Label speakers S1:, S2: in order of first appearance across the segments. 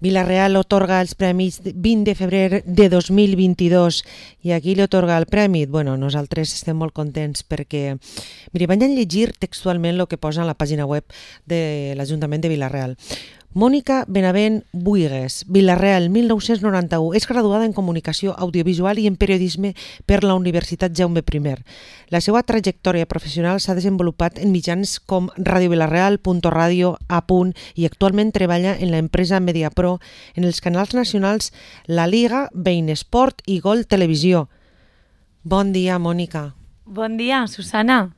S1: Vilareal otorga els premis 20 de febrer de 2022 i a qui li otorga el premi? Bueno, nosaltres estem molt contents perquè, mira, vaig a llegir textualment el que posa en la pàgina web de l'Ajuntament de Vila-real. Mònica Benavent Buigues, Vila-real, 1991. És graduada en Comunicació Audiovisual i en Periodisme per la Universitat Jaume I. La seva trajectòria professional s'ha desenvolupat en mitjans com Ràdio Vila-real, Punto Radio, A Punt, i actualment treballa en l'empresa Mediapro en els canals nacionals La Liga, Bein Esport i Gol Televisió. Bon dia, Mònica.
S2: Bon dia, Susana.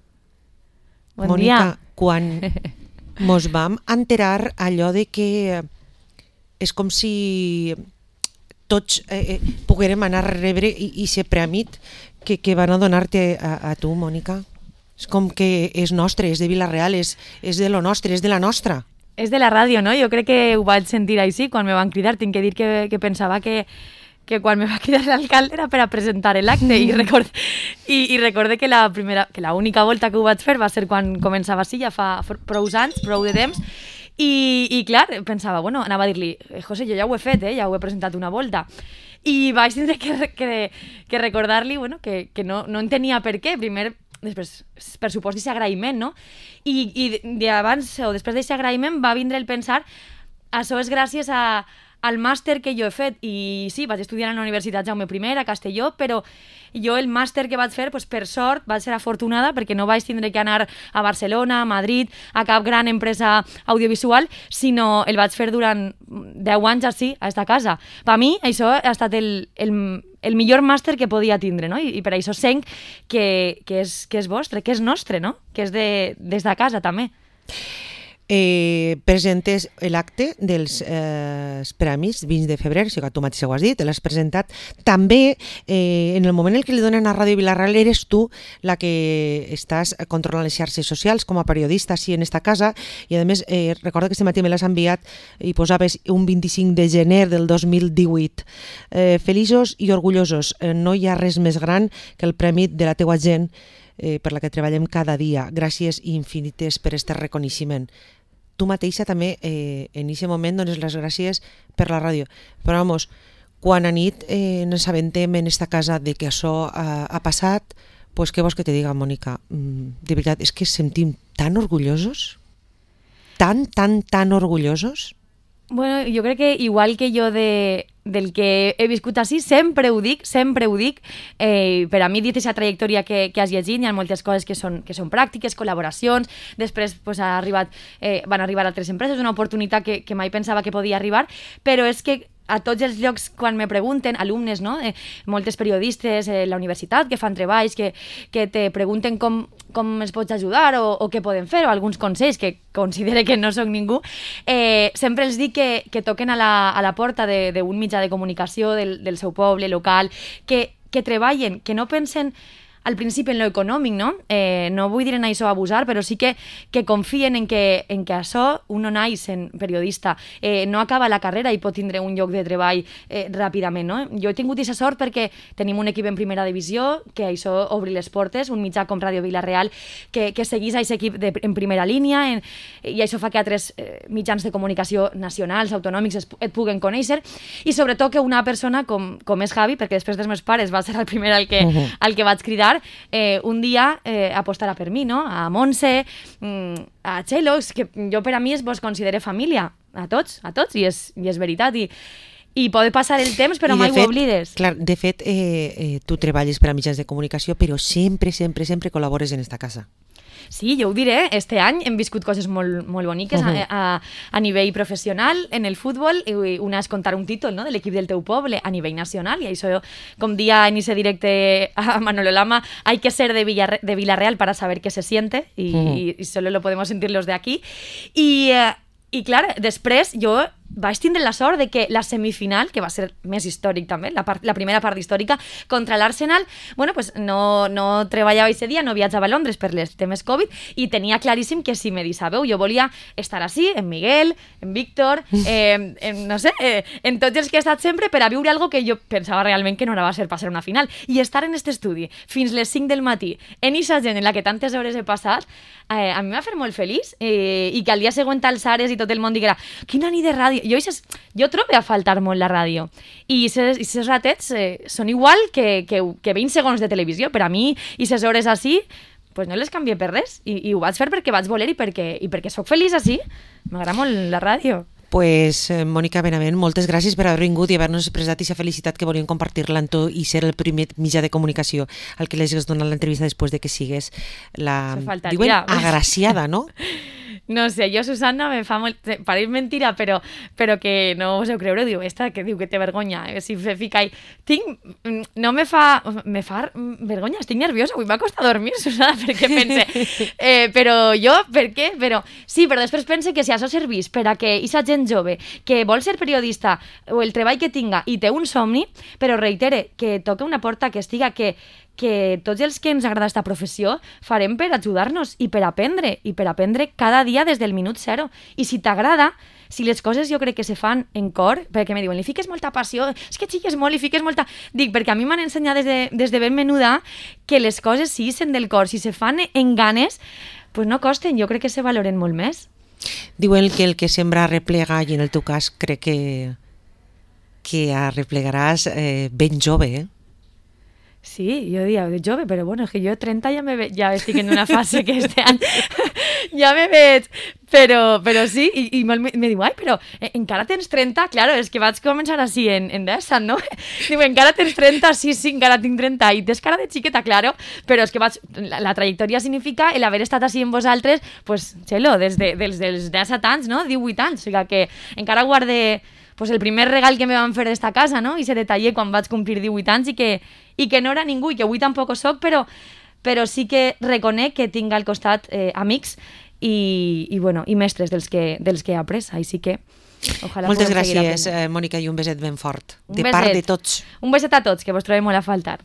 S2: Bon
S1: Mònica,
S2: dia.
S1: quan mos vam enterar allò de que és com si tots poguérem anar a rebre i ser prèmit que van a donar-te a tu, Mònica. És com que és nostre, és de Vila-real, és de lo nostre, és de la nostra.
S2: És de la ràdio, no? Jo crec que ho vaig sentir així quan me van cridar. Tinc que dir que pensava que quan me va cridar l'alcalde era per a presentar l'acte i recorde que la única volta que ho vaig fer va ser quan començava així, ja fa prou anys, prou de temps, i clar, pensava, bueno, anava a dir-li, José, jo ja ho he fet, ja ho he presentat una volta, i vaig tindre que recordar-li, bueno, que no entenia per què, primer, després, per supost, d'aquest agraïment, no? I abans, o després d'aquest agraïment, va vindre el pensar, això és gràcies al màster que jo he fet, i sí, vaig estudiar a la Universitat Jaume I a Castelló, però jo el màster que vaig fer, per sort, vaig ser afortunada perquè no vaig tindre que anar a Barcelona, a Madrid, a cap gran empresa audiovisual, sinó el vaig fer durant 10 anys així, a esta casa. Per mi, això ha estat el millor màster que podia tindre, no? I per això sent que és vostre, que és nostre, no? Que és des de casa, també.
S1: Presentes l'acte dels premis 20 de febrer, si tu mateixa ho has dit, l'has presentat. També, en el moment en què li donen a Ràdio Vila-real, eres tu la que estàs controlant les xarxes socials com a periodista així en esta casa, i a més, recorda que este matí me l'has enviat i posaves un 25 de gener del 2018. Feliços i orgullosos. No hi ha res més gran que el premi de la teua gent per la que treballem cada dia. Gràcies infinites per este reconeixement. Tu mateixa també en aquest moment dones les gràcies per la ràdio. Però vamos, quan a nit ens aventem en esta casa de que això ha passat, pues què vols que te diga, Mònica? De veritat, és que sentim tan orgullosos, tan orgullosos.
S2: Bueno, jo crec que igual que jo del que he viscut així, sempre ho dic, per a mi dit aquesta trajectòria que has llegit, hi ha moltes coses que són pràctiques, col·laboracions, després pues, van arribar altres empreses, una oportunitat que mai pensava que podia arribar, però és que a tots els llocs, quan me pregunten, alumnes, no? Moltes periodistes a la universitat que fan treballs, que te pregunten com es pots ajudar o què poden fer, o alguns consells que considere que no soc ningú, sempre els dic que toquen a la porta d'un mitjà de comunicació del seu poble local, que treballen, que no pensen al principi en lo econòmic, no? No vull dir en això abusar, però sí que confien en que això un no naix en periodista, no acaba la carrera i pot tindre un lloc de treball ràpidament, no? Jo he tingut aquesta sort perquè tenim un equip en primera divisió, que això obri les portes, un mitjà com Ràdio Vila-real, que seguís aquest equip en primera línia, i això fa que altres mitjans de comunicació nacionals, autonòmics, et puguen conèixer, i sobretot que una persona com és Javi, perquè després dels meus pares va ser el primer al que vaig cridar, un dia apostarà per mi, no? A Montse, a Txelo, que jo per a mi vos considero família, a tots, i és veritat, i pot passar el temps però mai ho oblides.
S1: Clar, de fet, tu treballes per a mitjans de comunicació, però sempre col·labores en esta casa.
S2: Sí, jo ho diré, este any hem viscut coses molt boniques a nivell professional en el futbol, una és contar un títol, no?, de l'equip del teu poble a nivell nacional, i això, com dia en ese directe a Manolo Lama, hay que ser de Vila-real para saber qué se siente, y solo lo podemos sentir los de aquí, i clar, després jo vaig tindre la sort de que la semifinal, que va ser més històric també, la primera part històrica, contra l'Arsenal, bueno, pues no treballava aquest dia, no viatjava a Londres per els temes Covid, i tenia claríssim que si me deixàveu, jo volia estar així, en Miguel, en Víctor, no sé, en tots els que he estat sempre, per a viure algo que jo pensava realment que no va ser passar una final, i estar en aquest estudi fins les 5 del matí, en aquesta gent en la que tantes hores he passat, a mi m'ha fet molt feliç, i que al dia següent alçares i tot el món diguera, quina nit de ràdio, ràdio. Jo trobo a faltar molt la ràdio. I aquests ratets són igual que 20 segons de televisió. Per a mi, i aquestes hores així, pues no les canvié per res. I ho vaig fer perquè vaig voler i perquè sóc feliç així. M'agrada molt la ràdio.
S1: Pues, Mònica Benavent, moltes gràcies per haver vingut i haver-nos expressat aquesta felicitat que volíem compartir-la amb tu i ser el primer mitjà de comunicació al que les has donat l'entrevista després de que sigues la, diuen, agraciada, no?
S2: No sé, jo, Susanna, me fa molt... Pareix mentira, però que no us heu creure. Diu, esta que diu que té vergonya. Si me fica ahí... No me fa... Me fa vergonya, estic nerviosa. Avui m'ha costat dormir, Susanna, perquè pense... però jo, per què? Però sí, però després pense que si això servís per a que aquesta gent jove que vol ser periodista o el treball que tinga i té un somni, però reitere, que toca una porta que estiga que tots els que ens agrada aquesta professió farem per ajudar-nos i per aprendre cada dia des del minut zero. I si t'agrada, si les coses jo crec que se fan en cor, perquè me diuen, li fiques molta passió, és que xiques molt, li fiques molta... Dic, perquè a mi m'han ensenyat des de ben menuda que les coses si ixen del cor, si se fan en ganes, pues no costen, jo crec que se valoren molt més.
S1: Diuen que el que sembra arreplega, i en el teu cas crec que arreplegaràs ben jove, eh?
S2: Sí, jo diria de jove, però bueno, és que jo 30 ja estic en una fase que este any ja me veig, però sí, i me diu, ai, però encara tens 30? Claro, és que vaig començar així en DESA, no? Diu, encara tens 30? Sí, encara tinc 30, i tens cara de xiqueta, claro, però és que la trajectòria significa el haver estat així amb vosaltres, pues, xelo, dels 17 anys, no? 18 anys, o sigui que encara guarde pues el primer regal que me van fer d'esta casa, no? I se detallé quan vaig complir 18 anys i que no era ningú i que avui tampoc ho soc, però sí que reconec que tinc al costat amics i mestres dels que he après, així que ojalà
S1: moltes gràcies, Mònica, i un beset ben fort. De part de tots.
S2: Un beset a tots, que vos trobem molt a faltar.